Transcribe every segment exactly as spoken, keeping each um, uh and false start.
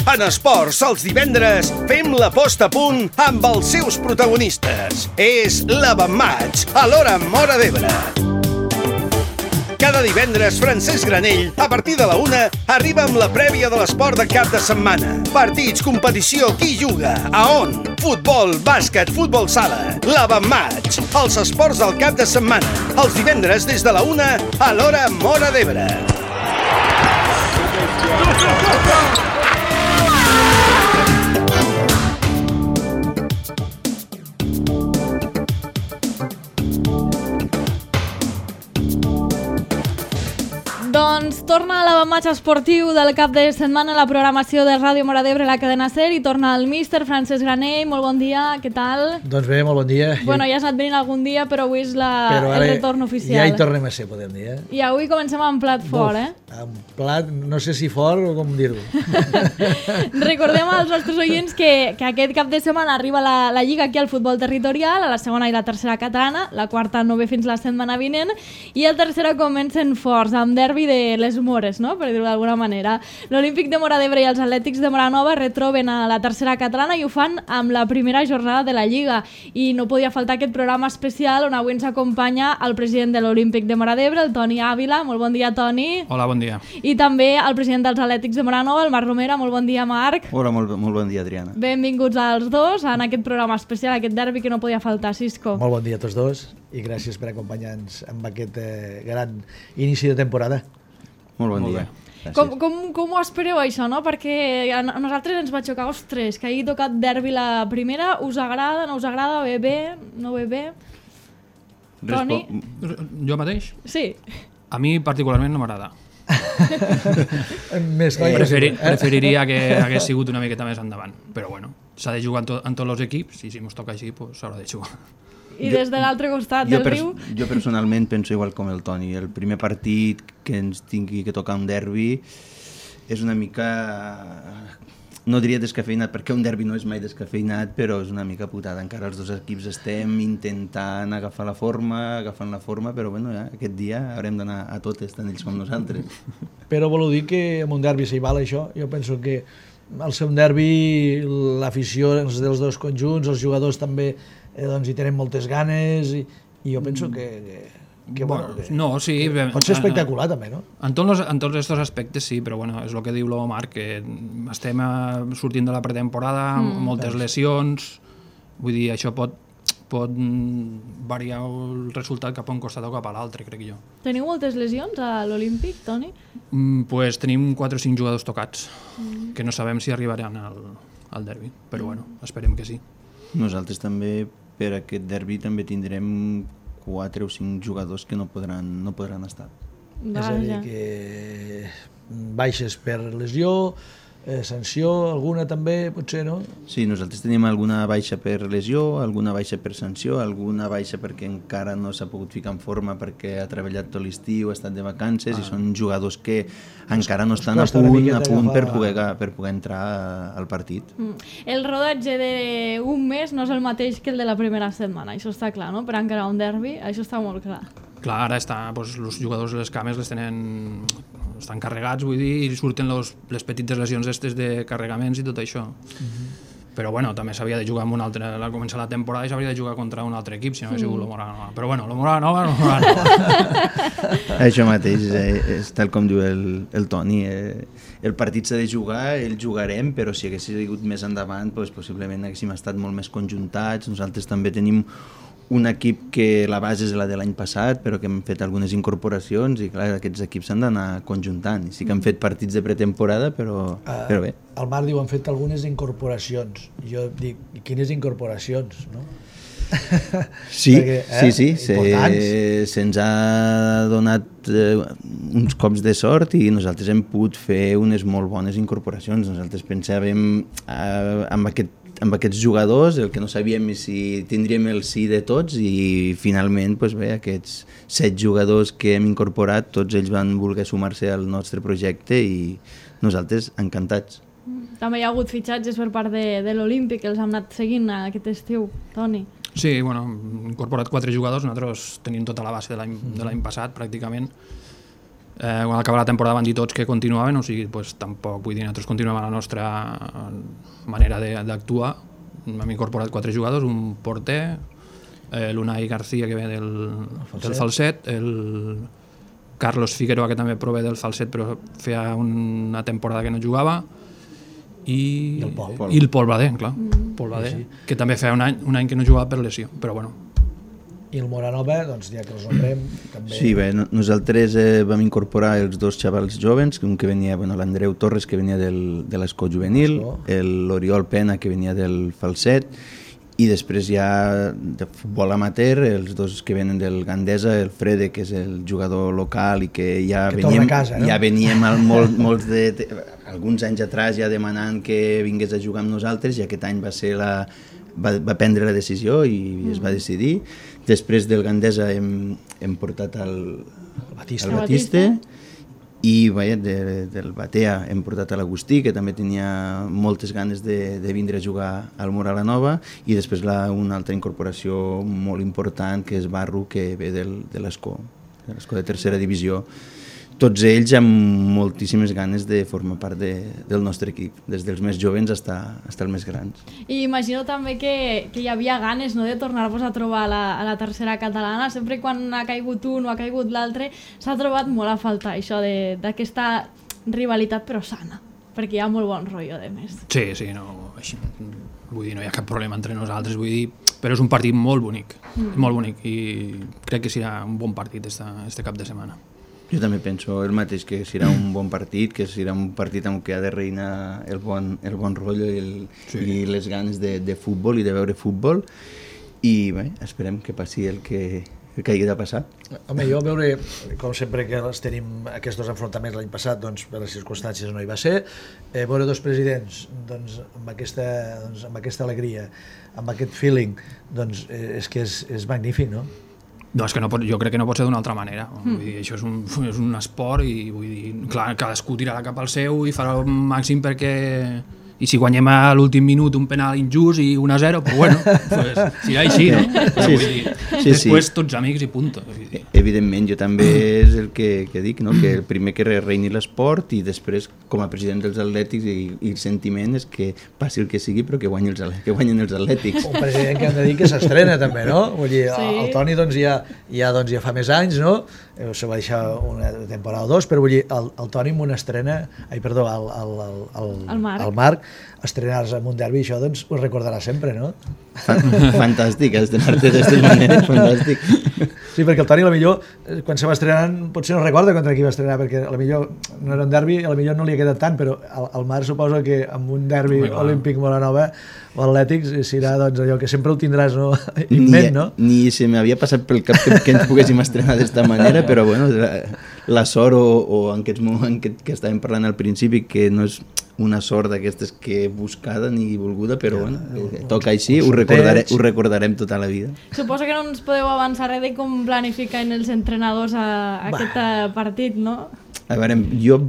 En esports, els divendres, fem la posta a punt amb els seus protagonistes. És l'Avantmatch, a l'hora Móra d'Ebre. Cada divendres, Francesc Granell, a partir de la una, arriba amb la prèvia de l'esport de cap de setmana. Partits, competició, qui juga, a on? Futbol, bàsquet, futbol sala. L'Avantmatch, els esports del cap de setmana. Els divendres des de la una, a l'hora Móra d'Ebre. Doncs torna l'Avantmatch esportiu del cap de setmana a la programació de Ràdio Móra d'Ebre, la cadena SER, i torna el míster Francesc Granell. Molt bon dia, què tal? Doncs bé, molt bon dia. Bueno, ja has anat venint algun dia, però avui és la, però el retorn oficial. Ja hi tornem a ser, podem dir. Eh? I avui comencem amb plat fort, eh? Amb plat, no sé si fort o com dir-ho. Recordem als nostres oients que, que aquest cap de setmana arriba la, la Lliga aquí al futbol territorial, a la segona i la tercera catalana, la quarta no ve fins la setmana vinent, i el tercera comencen forts, amb derbi de les Mores, no? Per dir-ho d'alguna manera. L'Olímpic de Móra d'Ebre i els Atlètics de Móra Nova retroben a la tercera catalana i ho fan amb la primera jornada de la Lliga. I no podia faltar aquest programa especial on avui ens acompanya el president de l'Olímpic de Móra d'Ebre, el Toni Ávila. Molt bon dia, Toni. Hola, bon dia. I també el president dels Atlètics de Móra Nova, el Marc Romera. Molt bon dia, Marc. Hola, molt, molt bon dia, Adriana. Benvinguts als dos en aquest programa especial, aquest derbi que no podia faltar, Cisco. Molt bon dia a tots dos i gràcies per acompanyar-nos amb aquest eh, gran inici de temporada. Molt bon Molt dia. Com, com, com ho espereu això, no? Perquè a nosaltres ens va xocar, ostres, que hagi tocat derbi la primera, us agrada, no us agrada, bé bé, no bé bé? Toni? Jo mateix? Sí. A mi particularment no m'agrada. Més noi, Preferi, eh? preferiria que hagués sigut una miqueta més endavant, però bueno, s'ha de jugar en, to, en tots els equips i si mos toca així, pues, s'haurà de jugar. I des de l'altre costat jo del pers riu? Jo personalment penso igual com el Toni. El primer partit que ens tingui que tocar un derbi és una mica... No diria descafeinat, perquè un derbi no és mai descafeinat, però és una mica putada. Encara els dos equips estem intentant agafar la forma, agafant la forma, però bueno, ja, aquest dia haurem d'anar a totes, tant ells com nosaltres. Però vol dir que en un derbi s'hi val això. Jo penso que al ser un derbi l'afició dels dos conjunts, els jugadors també eh, doncs hi tenen moltes ganes i, i jo penso que, que, que, bueno, que, no, sí, que pot ser espectacular també, no? En tots, en tots aquests aspectes sí, però bueno, és el que diu l'Omar, que estem eh, sortint de la pretemporada, mm. moltes lesions, vull dir, això pot, pot variar el resultat cap a un costat o cap a l'altre, crec jo. Teniu moltes lesions a l'Olímpic, Toni? Mm, pues tenim quatre o cinc jugadors tocats, mm. que no sabem si arribaran al, al derbi, però bueno, esperem que sí. Nosaltres també, per aquest derbi, també tindrem quatre o cinc jugadors que no podran, no podran estar. Vaja. És a dir, que baixes per lesió, eh, sanció, alguna també, potser, no? Sí, nosaltres tenim alguna baixa per lesió, alguna baixa per sanció, alguna baixa perquè encara no s'ha pogut ficar en forma perquè ha treballat tot l'estiu, ha estat de vacances, ah. i són jugadors que encara no estan a punt, a punt per poder, per poder entrar al partit. Mm. El rodatge d'un mes no és el mateix que el de la primera setmana, això està clar, no? Per encarar un derbi, això està molt clar. Clar, ara està, doncs, els jugadors de les cames les tenen, estan carregats, vull dir, i surten los, les petites lesions estes de carregaments i tot això. Mm-hmm. Però bueno, també s'havia de jugar amb un altre, al començar la temporada i s'hauria de jugar contra un altre equip, si no hagués sigut mm. l'Omora Nova. Però bueno, l'Omora Nova, l'Omora Nova. Això mateix, eh, és tal com diu el, el Toni, eh, el partit s'ha de jugar, el jugarem, però si hagués sigut més endavant, doncs, possiblement haguéssim estat molt més conjuntats. Nosaltres també tenim un equip que la base és la de l'any passat, però que hem fet algunes incorporacions i clar, aquests equips s'han d'anar conjuntant. Sí que han fet partits de pretemporada, però, uh, però bé. El Marc diu, han fet algunes incorporacions. Jo dic, quines incorporacions, no? Sí, Perquè, eh, sí, sí, se, se'ns ha donat eh, uns cops de sort i nosaltres hem pogut fer unes molt bones incorporacions. Nosaltres pensàvem eh, amb aquest amb aquests jugadors, el que no sabíem és si tindríem el sí de tots i finalment doncs bé, aquests set jugadors que hem incorporat, tots ells van voler sumar-se al nostre projecte i nosaltres encantats. També hi ha hagut fitxatges per part de, de l'Olímpic, que els hem anat seguint aquest estiu, Toni. Sí, bueno, hem incorporat quatre jugadors, nosaltres tenim tota la base de l'any de l'any passat pràcticament, Eh, quan acaba la temporada van dir tots que continuaven, o sigui, pues, tampoc, vull dir, nosaltres continuem a la nostra manera d'actuar. Hem incorporat quatre jugadors, un porter, eh, l'Unai García, que ve del, Falset. del Falset, el Carlos Figueroa, que també prové del Falset, però feia una temporada que no jugava, i, I el Pol. I el Pol Bader, clar, mm. Pol Bader, sí, sí. que també feia un any, un any que no jugava per lesió, però bueno. I el Moranova, doncs ja que els nombrem, també... Sí, bé, nosaltres eh, vam incorporar els dos xavals jovens, un que venia, bueno, l'Andreu Torres, que venia del, de l'Escó Juvenil, l'Oriol Pena, que venia del Falset, i després ja de futbol amateur, els dos que venen del Gandesa, el Frede, que és el jugador local i que ja que veníem, casa, no? ja veníem al, molt, molts de, de, alguns anys atrás ja demanant que vingués a jugar amb nosaltres, i aquest any va ser la, va, va prendre la decisió i mm. es va decidir. Després del Gandesa hem, hem portat el, el Batista, el Batiste, i bé, de, del Batea hem portat a l'Agustí, que també tenia moltes ganes de, de vindre a jugar al Moralanova, i després la, una altra incorporació molt important, que és Barru, que ve del, de l'Escó, de l'Escó de tercera divisió. Tots ells amb moltíssimes ganes de formar part de, del nostre equip, des dels més jovens fins als més grans. I imagino també que, que hi havia ganes, no?, de tornar-vos a trobar a la, a la tercera catalana. Sempre quan ha caigut un o ha caigut l'altre s'ha trobat molt a faltar això d'aquesta rivalitat però sana, perquè hi ha molt bon rotllo de més. Sí, sí, no, així, vull dir, no hi ha cap problema entre nosaltres, vull dir, però és un partit molt bonic, mm. molt bonic, i crec que serà un bon partit este cap de setmana. Jo també penso el mateix, que serà un bon partit, que serà un partit en què ha de reinar el bon, el bon rotllo i, el, sí. i les ganes de, de futbol i de veure futbol, i bé, esperem que passi el que, el que hagi de passar. Home, jo veure, com sempre que els tenim aquests dos enfrontaments l'any passat, doncs per les circumstàncies no hi va ser, eh, veure dos presidents doncs, amb, aquesta, doncs, amb aquesta alegria, amb aquest feeling, doncs eh, és que és, és magnífic, no? No, és que no pot, jo crec que no pot ser d'una altra manera. Mm. Vull dir, això és un, és un esport i vull dir, clar, cadascú tirarà cap al seu i farà el màxim perquè... I si guanyem a l'últim minut un penal injust i un a zero, pues bueno, pues serà així, no? Però vull dir, sí, després sí. Tots amics i punto. Evidentment, jo també és el que, que dic, no? Que el primer que reini l'esport, i després, com a president dels Atlètics, i, i el sentiment és que passi el que sigui, però que guanyin els, que guanyin els Atlètics. Un president que hem de dir que s'estrena també, no? Vull dir, sí. el Toni doncs, ja, ja, doncs, ja fa més anys, no? Se va deixar una temporada o dos, però vull dir, el, el Toni amb una estrena, ai, perdó, el, el, el, el, el, Marc. el Marc, estrenar-se en un derbi, això doncs ho recordarà sempre, no? Fantàstic, estrenar-te d'aquesta manera, fantàstic. Sí, perquè el Toni, a la millor, quan se va estrenant, potser no recorda contra qui va estrenar, perquè a la millor no era un derbi, a la millor no li ha quedat tant, però al, al Marc suposo que amb un derbi olímpic Moranova o Atlètics serà doncs, allò que sempre ho tindràs, no? Inment, no? Ni, ni se m'havia passat pel cap que, que ens poguéssim estrenar d'esta manera, però bueno, la, la sort o, o en aquest moment que, que estàvem parlant al principi, que no és una sort d'aquestes que buscada ni volguda, però bueno, eh, toca així, ho, recordare, ho recordarem tota la vida. Suposo que no ens podeu avançar res de com planifiquen els entrenadors a, a aquest partit, no? A veure, jo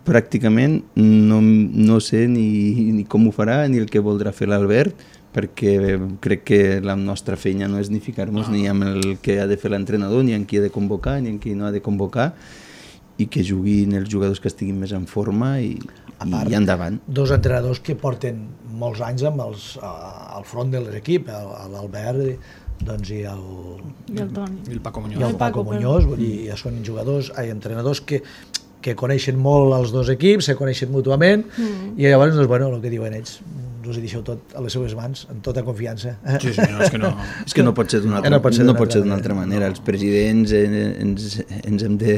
pràcticament no, no sé ni, ni com ho farà ni el que voldrà fer l'Albert, perquè crec que la nostra feina no és ni ficar-nos ni amb el que ha de fer l'entrenador, ni en qui ha de convocar, ni en qui no ha de convocar, i que juguin els jugadors que estiguin més en forma i, part, i endavant. Dos entrenadors que porten molts anys amb els, al front de l'equip, l'Albert doncs, i el, I el Toni. I el Paco Muñoz. I el Paco, Paco Muñoz, vull dir, ja són jugadors, ai, entrenadors que, que coneixen molt els dos equips, se coneixen mútuament, mm. i llavors, doncs, bueno, el que diuen ells, us hi deixeu tot a les seves mans, amb tota confiança. Sí, sí, no, és que no, és que no pot ser d'una altra, no pot ser no pot ser d'una altra manera. Els presidents ens, ens hem de...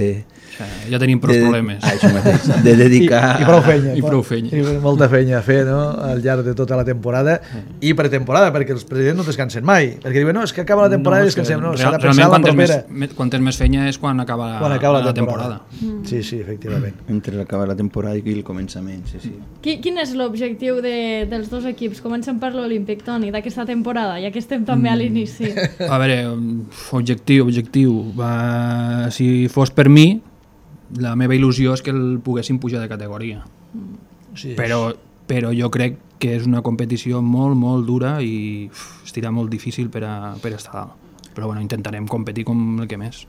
Ja tenim prou problemes. Ah, això mateix, de dedicar... I, i prou fenya. I prou fenya. I molta fenya a fer, no?, al llarg de tota la temporada, mm. i pretemporada, perquè els presidents no descansen mai, perquè diuen, no, és que acaba la temporada no, i descansem, no, s'ha de pensar la propera. Quantes més fenya és quan acaba la, quan acaba la, la temporada. temporada. Mm. Sí, sí, efectivament. Entre acabar la temporada i el començament, sí, sí. Qui, quin és l'objectiu de, dels dos equips? Comencem per l'Olímpic, Toni, d'aquesta temporada, ja que estem també a l'inici. A veure, objectiu, objectiu. Va, si fos per mi, la meva il·lusió és que el poguéssim pujar de categoria. Sí, però, però jo crec que és una competició molt, molt dura i uf, estirà molt difícil per a, per a estar dalt. Però bueno, intentarem competir com el que més.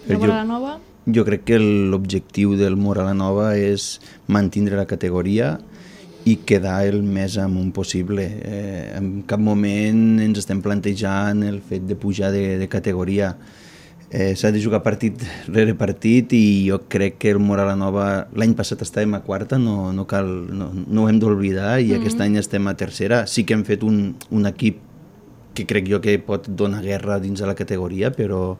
I a la Nova? Jo crec que l'objectiu del Mora la Nova és mantenir la categoria i quedar el més amunt possible. Eh, en cap moment ens estem plantejant el fet de pujar de, de categoria. Eh, S'ha de jugar partit rere partit i jo crec que el Mora la Nova l'any passat estàvem a quarta, no, no, cal, no, no ho hem d'oblidar, i mm-hmm. aquest any estem a tercera. Sí que hem fet un, un equip que crec jo que pot donar guerra dins de la categoria, però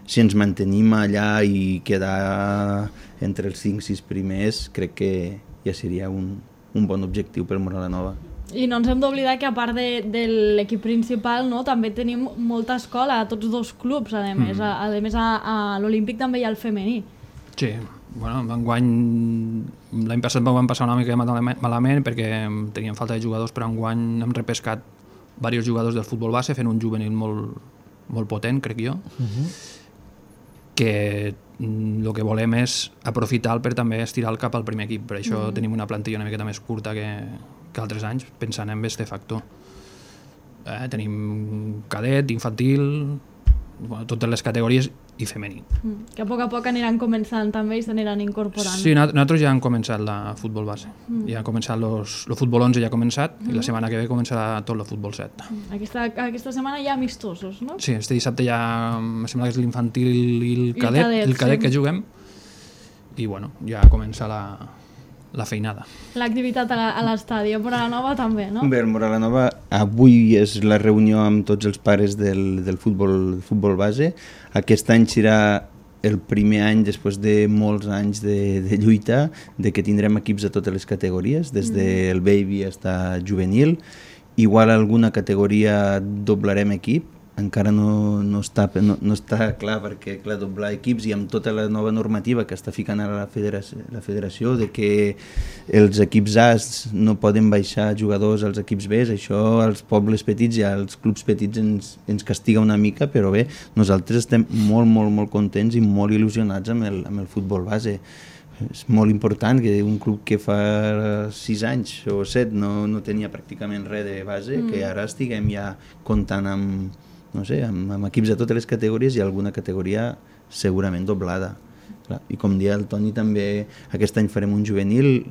si ens mantenim allà i quedar entre els cinc sis primers, crec que ja seria un, un bon objectiu per Mora la Nova. I no ens hem d'oblidar que a part de, de l'equip principal, no, també tenim molta escola a tots dos clubs, a més, mm. a, a, més a, a l'Olímpic també hi ha el femení. Sí, bueno, enguany l'any passat vam passar una mica malament perquè teníem falta de jugadors, però enguany hem repescat diversos jugadors del futbol base fent un juvenil molt, molt potent, crec jo. Uh-huh. Que el que volem és aprofitar per també estirar el cap al primer equip, per això mm. tenim una plantilla una miqueta més curta que, que altres anys, pensant en aquest factor. Eh, tenim cadet, infantil, bueno, totes les categories i femení. Mm. Que a poc a poc aniran començant també i s'aniran incorporant. Sí, nosaltres ja hem començat la futbol base. Mm. Ja han començat los, el futbol onze ja ha començat mm. i la setmana que ve començarà tot el futbol set. Mm. Aquesta, aquesta setmana hi ha amistosos, no? Sí, este dissabte ja em sembla que és l'infantil i el cadet, el cadet, el cadet sí. que juguem i bueno, ja comença la, la feinada. L'activitat a l'estadi, a Mora la Nova també, no? Bé, Mora la Nova avui és la reunió amb tots els pares del, del futbol, futbol base. Aquest any serà el primer any, després de molts anys de, de lluita, de que tindrem equips a totes les categories, des del baby fins a juvenil. Igual alguna categoria doblarem equip, encara no, no, està, no, no està clar, perquè clar, doblar equips i amb tota la nova normativa que està ficant ara la federació, la federació de que els equips A no poden baixar jugadors als equips B, això als pobles petits i als clubs petits ens, ens castiga una mica, però bé, nosaltres estem molt, molt, molt contents i molt il·lusionats amb el, amb el futbol base. És molt important que un club que fa sis anys o set no, no tenia pràcticament res de base, mm. que ara estiguem ja comptant amb no sé, amb, amb equips de totes les categories i alguna categoria segurament doblada. Clar. I com dia el Toni també, aquest any farem un juvenil,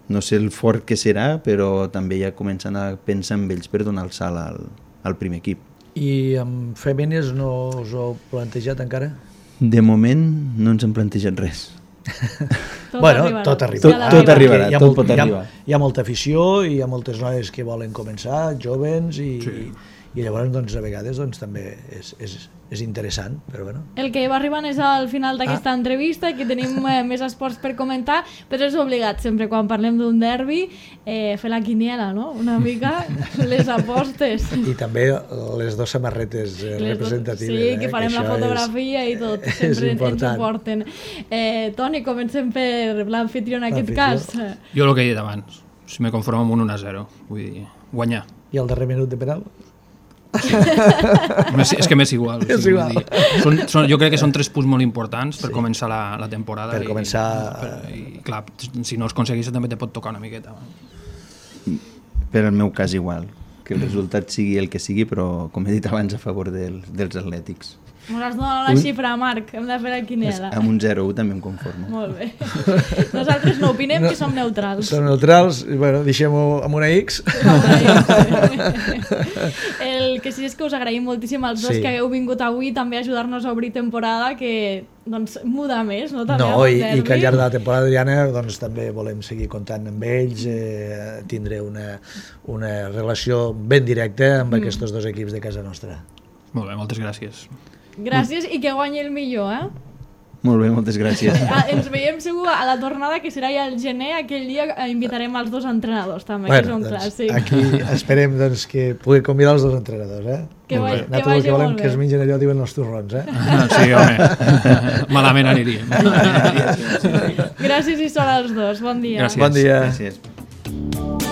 no sé el fort que serà, però també ja comencen a pensar en ells per donar el salt al, al primer equip. I amb femines no us ho heu plantejat encara? De moment no ens hem plantejat res. Tot bueno, arribarà. tot arribarà. Tot, tot arribarà, hi ha, tot molt, pot arribar. Hi ha, hi ha molta afició i hi ha moltes noies que volen començar, jovens, i, sí. i, i llavors doncs, a vegades doncs, també és, és, és interessant, però bueno. El que va arribant és al final d'aquesta ah. entrevista, que tenim eh, més esports per comentar, però és obligat sempre quan parlem d'un derbi eh, fer la quiniela, no? Una mica les apostes. I també les dues samarretes eh, les representatives. Sí, que farem eh, que la fotografia és, i tot, sempre ens ho porten. Eh, Toni, comencem per l'anfitrió en aquest cas. Jo el que he dit abans, si me conformo amb un un a zero, vull dir, guanyar. I el darrer minut de penal? Sí. És que m'és igual, és sí, igual. Vull dir, són, són, jo crec que són tres punts molt importants per sí. començar la, la temporada per i, començar... per, i clar, si no els aconseguis també te pot tocar una miqueta. Per al meu cas igual, que el resultat sigui el que sigui, però com he dit abans a favor del, dels atlètics. Ens has donat la xifra, Marc, hem de fer la quiniela. Amb un zero u també em conformo. Molt bé. Nosaltres no opinem, no, que som neutrals. Som neutrals, bueno, deixem-ho amb una X. El que sí és que us agraïm moltíssim als dos sí. que hagueu vingut avui també a ajudar-nos a obrir temporada, que doncs muda més, no? També no, i, i que al llarg de la temporada, Adriana, doncs també volem seguir comptant amb ells, eh, tindre una, una relació ben directa amb mm. aquests dos equips de casa nostra. Molt bé, moltes gràcies. Gràcies i que guanyi el millor, eh? Molt bé, moltes gràcies. Ens veiem segur a la tornada, que serà ja el gener, aquell dia invitarem els dos entrenadors també, bueno, que són doncs, clàssics. Aquí esperem doncs, que pugui convidar els dos entrenadors, eh? Que, va, que nosaltres el que volem que es mengin allò, diuen els torrons, eh? Ah, sí, home, malament aniríem. Gràcies i sort als dos, bon dia. Gràcies. Bon dia. Gràcies.